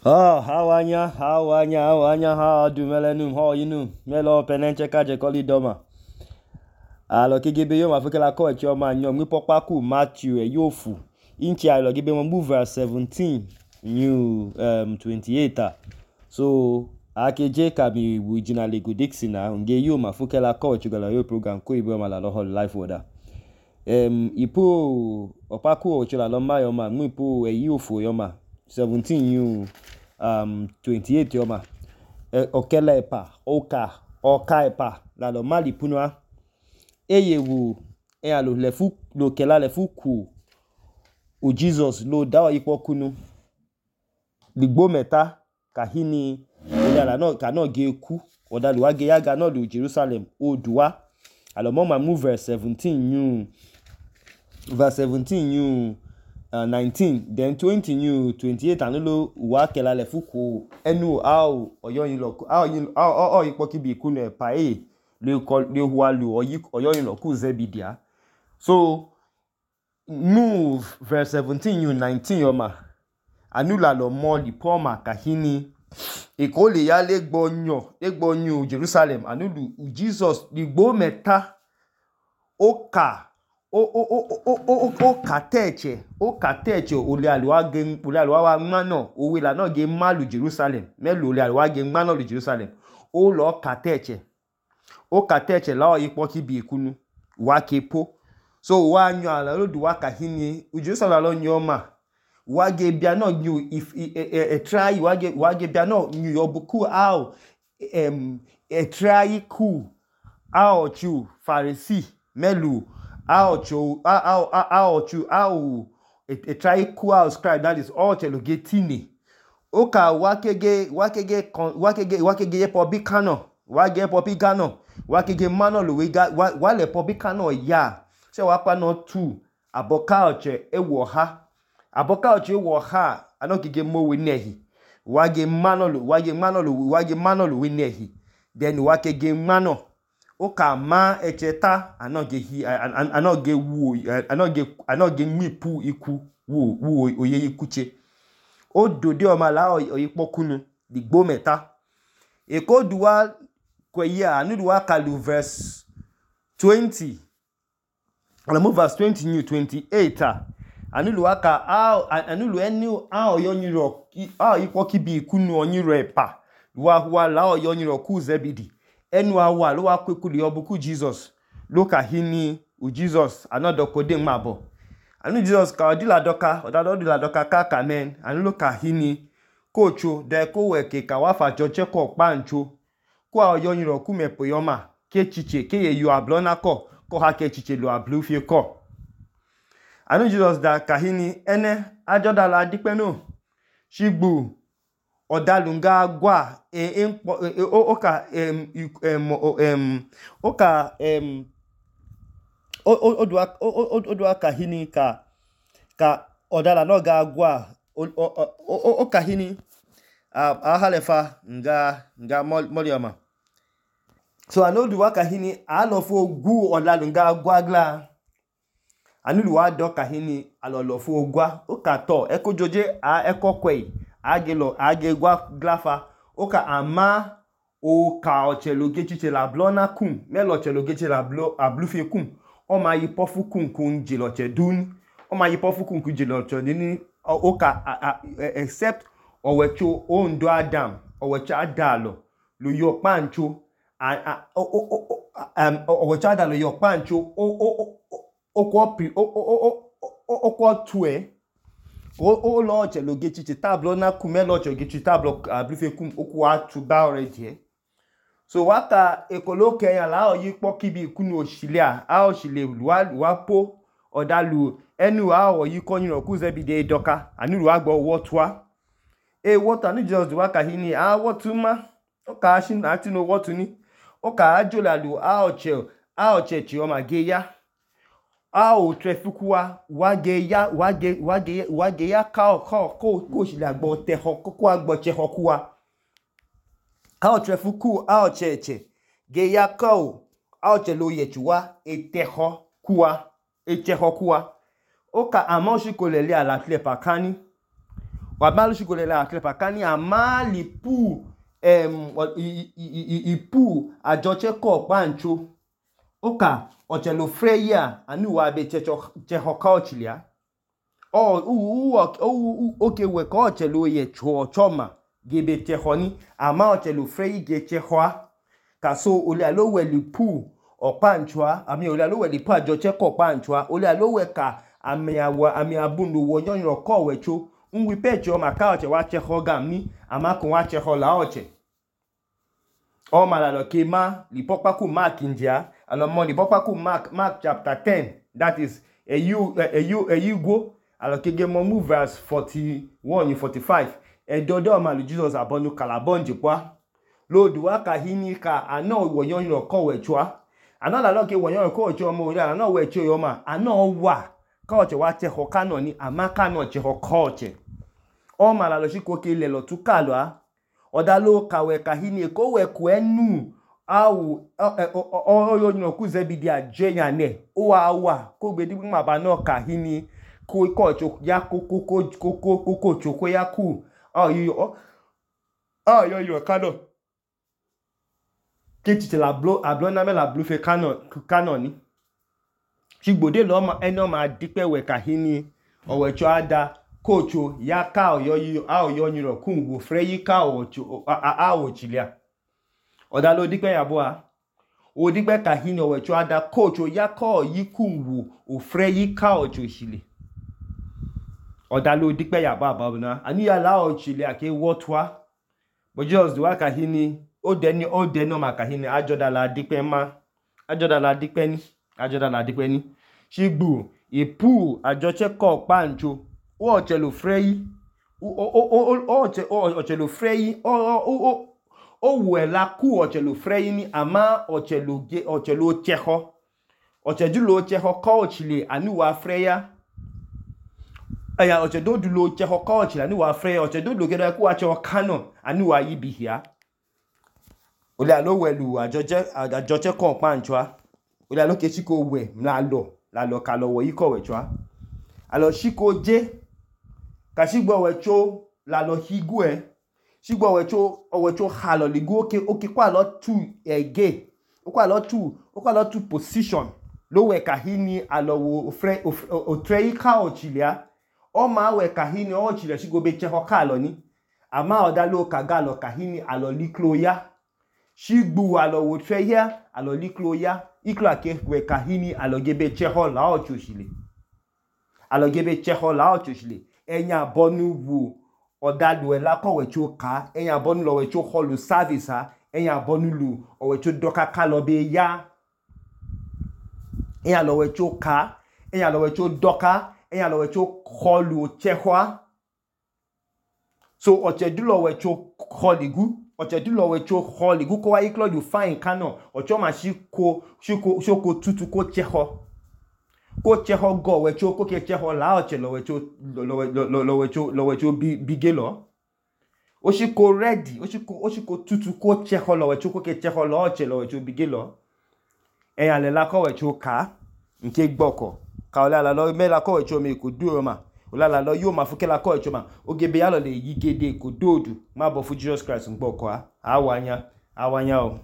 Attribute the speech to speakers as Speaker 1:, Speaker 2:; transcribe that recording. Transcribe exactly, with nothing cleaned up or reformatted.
Speaker 1: Oh, how are ya? How are ya? How are ya? How do melenum? How you know? Melo penenche kaje koli doma. Alo kigebe yo mafuke la ko echi oma nyom mi pokpa ku Matthew e yofu. Inchi alo gibe mo move verse seventeen new um twenty-eight. So akeje ka mi originally go Dixon na nge yo mafuke la ko echi gala yo program ko ibo ma la lo life order. Um ipo opaku ochi la lo ma yo ma mu ipo e yofu yo ma seventeen new um twenty-eight yoma e, okela epa oka oka epa la lo mali punwa eye wo e alo lefu lo kela lefu ku o Jesus lo da ipo kunu ligbo meta kahini ola no ka no ge ku oda lo age yaga no lo Jerusalem oduwa alo mo ma move verse seventeen new verse seventeen new Uh, nineteen then twenty new twenty-eight anulo wa kela le fuku enu ao oyoyin lo ao yin ao o ipo kibi kunu e pa e le ko le huwa lu oyi oyoyin lo ku zebidia so move verse seventeen new nineteen yoma anula lo mo li poma kahini e ko le ya le gbonyo le gbonyo Jerusalem anulu Jesus ligbo meta oka o o o o o o kateche o kateche ole alwa ge ole alwa wa mano owe la no ge malu Jerusalem melo ole alwa ge mano lu Jerusalem o lo kateche o kateche la ipo ki bi ikunu wa kepo so wa nyu ala lo du wa kahini u Jerusalem lo nyu ma wa ge bia no nyu if e try wa ge wa ge bia no nyu yobuku ao em e try ku ao chu Pharisee melu Ao cho ao ao chu ao a try cool scribe that is all chelo getini oka wakege wakege wakege wakege publicano wage publicano wakege mano lo wega wale publicano ya se wa pa no two aboka oche ewo ha aboka oche ewo ha anokige mo we nehi wage mano lo wage mano lo wage mano lo we nehi then wakege mano oka ma echeta anoge hi anoge wu anoge anoge mipu iku wu wu oye ikuche o dode o ma la oyipo kunu digbo meta e ko duwa kweye anu duwa kalu verse twenty ala move verse twenty new twenty-eight anu duwa ka anu lu enu a oyonyiro a ipo kibi ikunu onyiro epa wa wa la oyonyiro ku zebidi enu awa lo wa kwekuli obuku Jesus lo ka hini u Jesus anodo kode mabo anu Jesus ka odila doka odado odila doka ka kamen anu lo ka hini kocho de ko weke ka wa fa joche ko pancho ko oyoyin ro ku mepo yoma ke chiche ke ye yu ablona ko ko ha ke chiche lo ablu fie ko anu Jesus da ka hini ene ajoda la dipeno shigbu odalunga gwa e oka em em em oka em odwa odwa kahini ka ka odala no ga gwa oka hini ahalefa nga nga molioma so anoduwa kahini alofo gu odalunga gwa gla anuluwa do kahini alolofo ogwa oka to ekojoje a ekokwe agelo agegwa glafa oka ama o ka ochelo gechiche la blona kum melo ochelo gechiche la blo ablufe kum o ma yipofu kum kun jiloche dun o ma yipofu kum kun jiloche ni oka except owecho ondo adam owecho adalo lo yo pancho um owecho adalo yo pancho o o okwo pri o okwo tue o o lo chelo gechiche tablo na kumelo cho gechiche tablo ablife kum oku atu ba already so waka ekoloke ya la oyipo kibi kunu oshilia a oshile luwa luwa po odalu enu a oyiko yin ku zebide doka anuru agbo wotwa e wota ni just waka hini a wotuma oka ashin ati no wotuni oka ajolalu a oche a oche chi o mageya a o trefikuwa wage ya wage wage wage ya ka ko ko ko si la gbo te ho ko agbo che ho kuwa a o trefiku a o cheche ge ya ko a o che lo ye chuwa e te ho kuwa e che ho kuwa o ka amoshi ko lele ala tle pakani wa malu shiko le la klepa kani amali pu em ipu ajoche ko pancho oka ochelo freya anu wa be checho cheho culture o u u oke we ko ochelo ye cho choma gebe chehoni ama ochelo freyi ge chehoa kaso ole alo we lipu opanchwa ami ole alo we lipu ajoche ko panchwa ole alo we ka ami awa ami abunu wo yon ko wecho nwi pecho maka oche wa cheho gami ama ko wa cheho la oche o mala lo ke ma lipopa ku mark india alo mo lipopa ku mark mark chapter ten that is a you a you a you go alo ke ge mo move verse forty-one forty-five e dodo malu Jesus abonu kalabonje kwa lodu wa ka hini ka ana wo yon ko wecho ana la lo ke wo yon ko wecho mo ri ana we cho yo ma ana wa ka oche wa cheho kano ni ama kano cheho koche o mala lo shiko ke le lo tukalo a odalo kawe kahini ko we ku enu awu o yo no ku zebidi ajenya ne o awa ko gbe di ma ba no kahini ko ko cho ya ko ko ko ko ko cho ko ya ku o yo o yo yo kano ke ti la blo ablo na me la blo fe kano kano ni shigbode lo ma eno ma dipe we kahini o we cho ada kocho ya ka oyo yi a oyo nyiro kungu freyi ka ocho a a ochilia odalo dipe yabo a o dipe kahini owe cho ada kocho ya ka yi kungu o freyi ka ocho chile odalo dipe yabo aba na ani ya la ochilia ke wotwa but just do kahini o deni o deno ma kahini ajoda la dipe ma ajoda la dipe ni ajoda la dipe ni shigbu ipu ajoche ko pancho o ochelo freyi o o o oche o ochelo freyi o o o we la ku ochelo freyi ni ama ochelo ge ochelo cheho ochedulo cheho ko ochile ani wa freya aya ochedodulo cheho ko ochile ani wa freya ochedodulo ge ku wa cheho kano ani wa yibihia ole alo welu ajoje ajoche ko panchwa ole alo ke chiko we la lo la lo ka lo wo yi ko wechwa alo shiko je ka shigbo wecho la lo higwe shigbo wecho owecho halo ligu oke oke kwa lo two ege kwa lo two kwa lo two position lo we kahini alo wo fre o trei ka ochilia o ma we kahini o ochilia shigo be cheho ka lo ni ama oda lo ka ga lo kahini alo liklo ya shigbu alo wo trei ya alo liklo ya iklo ake we kahini alo gebe cheho la ochoshile alo gebe cheho la ochoshile enya bonu wu odadu ela ko wecho ka enya bonu lo wecho holu service ha enya bonu lu o wecho doka ka lo be ya enya lo wecho ka enya lo wecho doka enya lo wecho holu chehwa so ochedu lo wecho holigu ochedu lo wecho holigu ko wa iklo you fine kano ocho ma shiko shiko shoko tutu ko cheho ko cheho go wecho ko ke cheho la oche lo wecho lo lo lo wecho lo wecho bigelo o shiko ready o shiko o shiko tutu ko cheho lo wecho ko ke cheho la oche lo wecho bigelo e ale la ko wecho ka nke gboko ka ole ala lo me la ko wecho me ko duro ma ole ala lo yo ma fuke la ko wecho ma ogebe ya lo le yigede ko dodu ma bo fu Jesus Christ gboko a awanya awanya o